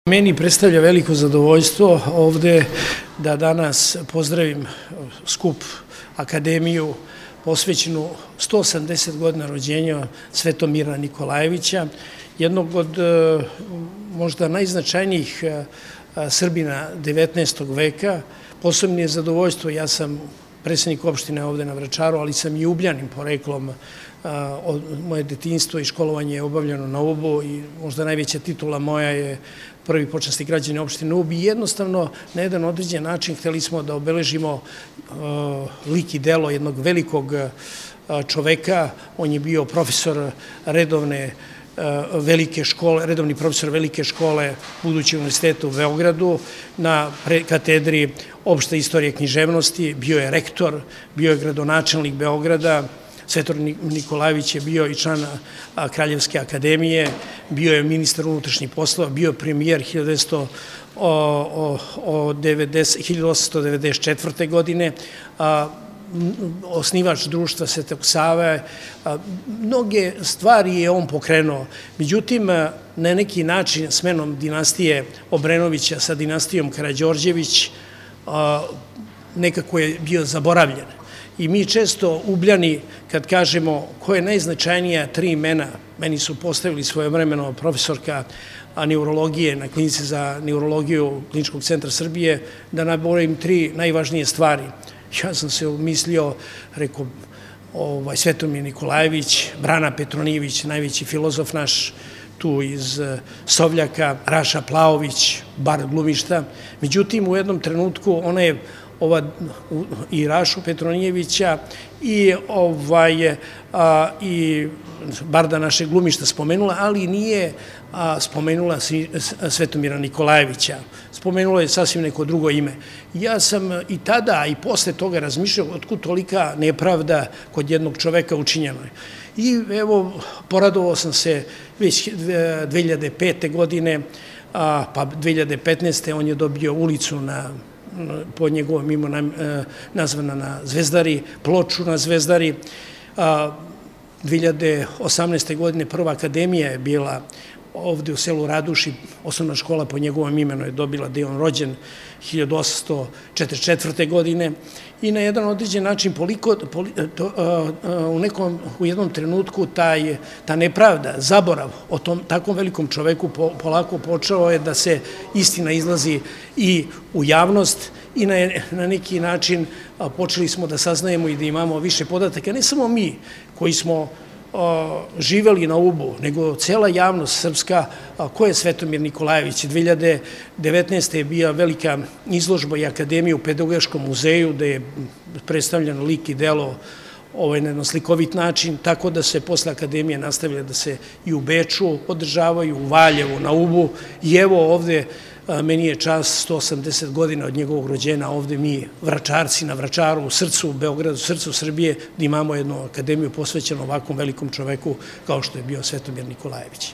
Meni predstavlja veliko zadovoljstvo ovde da danas pozdravim skup Akademiju posvećenu 180 godina rođenja Svetomira Nikolajevića, jednog od možda najznačajnijih Srbina 19. veka. Posebno je zadovoljstvo, ja sam predsednik opštine ovde na Vračaru, ali sam i Ubljanin poreklom. Moje detinjstvo i školovanje je obavljeno na Ubu i možda najveća titula moja je prvi počasni građanin opštine Ub. I jednostavno na jedan određen način hteli smo da obeležimo lik i delo jednog velikog čoveka. On je bio profesor redovni profesor velike škole budućeg univerziteta u Beogradu na katedri opšte istorije književnosti, bio je rektor, bio je gradonačelnik Beograda. Svetomir Nikolajević je bio i član Kraljevske akademije, bio je ministar unutrašnjih poslova, bio je premijer 1894. godine, osnivač društva Svetog Save. Mnoge stvari je on pokrenuo. Međutim, na neki način smenom dinastije Obrenovića sa dinastijom Karađorđević nekako je bio zaboravljen. I mi često Ubljani, kad kažemo ko je najznačajnija tri imena, meni su postavili svojevremeno profesorka neurologije na klinici za neurologiju Kliničkog centra Srbije, da nabrojim tri najvažnije stvari. Ja sam se umislio, rekao, Svetomir Nikolajević, Brana Petronijević, najveći filozof naš, tu iz Sovljaka, Raša Plaović, bar glumišta. Međutim, u jednom trenutku ona je i Rašu Petronijevića i barda našeg glumišta spomenula, ali nije spomenula Svetomira Nikolajevića. Spomenula je sasvim neko drugo ime. Ja sam i tada i posle toga razmišljao otkud tolika nepravda kod jednog čoveka učinjenoj. I evo, poradovao sam se već 2005. godine, pa 2015. on je dobio ulicu po njegovom imenu nazvana na Zvezdari, ploču na Zvezdari. 2018. godine prva akademija je bila ovde u selu Raduši, osnovna škola po njegovom imenu je dobila, gde je on rođen 1844. godine. I na jedan određen način u jednom trenutku ta nepravda, zaborav o takvom velikom čoveku polako počeo je da se istina izlazi i u javnost i na neki način počeli smo da saznajemo i da imamo više podataka, ne samo mi koji smo živeli na Ubu, nego cela javnost srpska, ko je Svetomir Nikolajević. 2019. je bila velika izložba i akademija u Pedagoškom muzeju, gde je predstavljeno lik i delo na jedan slikovit način, tako da se posle akademije nastavlja da se i u Beču održavaju, u Valjevu, na Ubu. I evo ovde, meni je čast 180 godina od njegovog rođenja, ovde mi Vračarci na Vračaru, u srcu Beogradu, u srcu Srbije, da imamo jednu akademiju posvećenu ovakvom velikom čoveku kao što je bio Svetomir Nikolajević.